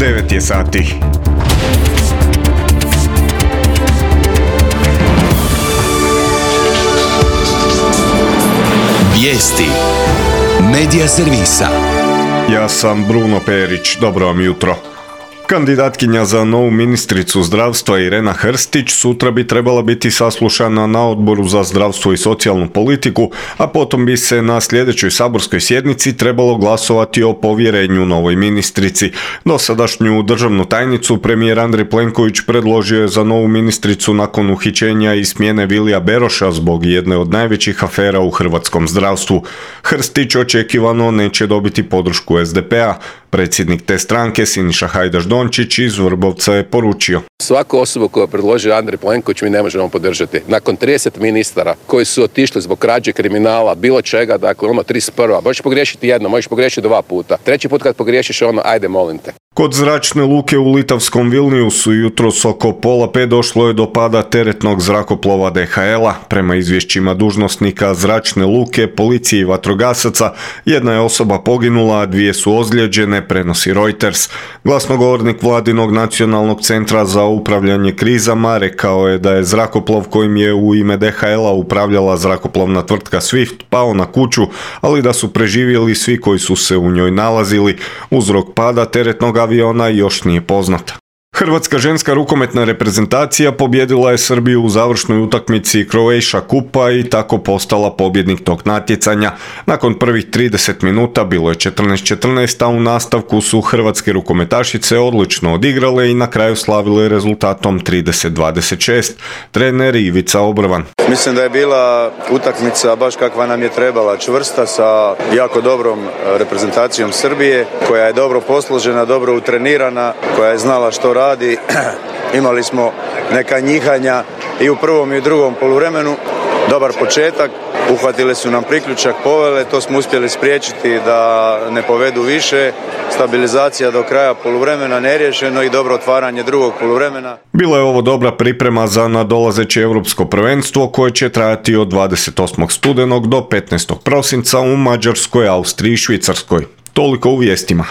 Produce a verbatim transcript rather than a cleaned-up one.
devet je sati. Vijesti Medija servisa. Ja sam Bruno Perić, dobro vam jutro. Kandidatkinja za novu ministricu zdravstva Irena Hrstić sutra bi trebala biti saslušana na Odboru za zdravstvo i socijalnu politiku, a potom bi se na sljedećoj saborskoj sjednici trebalo glasovati o povjerenju novoj ministrici. Dosadašnju državnu tajnicu premijer Andrej Plenković predložio je za novu ministricu nakon uhićenja i smjene Vilija Beroša zbog jedne od najvećih afera u hrvatskom zdravstvu. Hrstić očekivano neće dobiti podršku es de pe a. Predsjednik te stranke Siniša Hajdaš Dončić iz Vrbovca je poručio: Svaku osobu koju je predložio Andrej Plenković mi ne možemo podržati. Nakon trideset ministara koji su otišli zbog krađe, kriminala, bilo čega, dakle ono trideset prva. Možeš pogriješiti jedno, možeš pogriješiti dva puta. Treći put kad pogriješiš ono, ajde molim te. Kod zračne luke u litavskom Vilniusu jutros oko pola pet došlo je do pada teretnog zrakoplova de ha el a. Prema izvješćima dužnosnika zračne luke, policije i vatrogasaca, jedna je osoba poginula, a dvije su ozlijeđene, prenosi Reuters. Glasnogovornik Vladinog nacionalnog centra za upravljanje krizama rekao je da je zrakoplov kojim je u ime de ha el a upravljala zrakoplovna tvrtka Swift pao na kuću, ali da su preživjeli svi koji su se u njoj nalazili. Uzrok pada teretnog aviona još nije poznat. Hrvatska ženska rukometna reprezentacija pobijedila je Srbiju u završnoj utakmici Croatia Kupa i tako postala pobjednik tog natjecanja. Nakon prvih trideset minuta bilo je četrnaest četrnaest, a u nastavku su hrvatske rukometašice odlično odigrale i na kraju slavile rezultatom trideset dvadeset šest. Trener Ivica Obrvan: Mislim da je bila utakmica baš kakva nam je trebala, čvrsta, sa jako dobrom reprezentacijom Srbije, koja je dobro posložena, dobro utrenirana, koja je znala što radi. Imali smo neka njihanja i u prvom i u drugom poluvremenu. Dobar početak, uhvatile su nam priključak, povele, to smo uspjeli spriječiti da ne povedu više. Stabilizacija do kraja poluvremena neriješeno i dobro otvaranje drugog poluvremena. Bila je ovo dobra priprema za nadolazeće europsko prvenstvo koje će trajati od dvadeset osmog studenog do petnaestog prosinca u Mađarskoj, Austriji i Švicarskoj. Toliko u vijestima.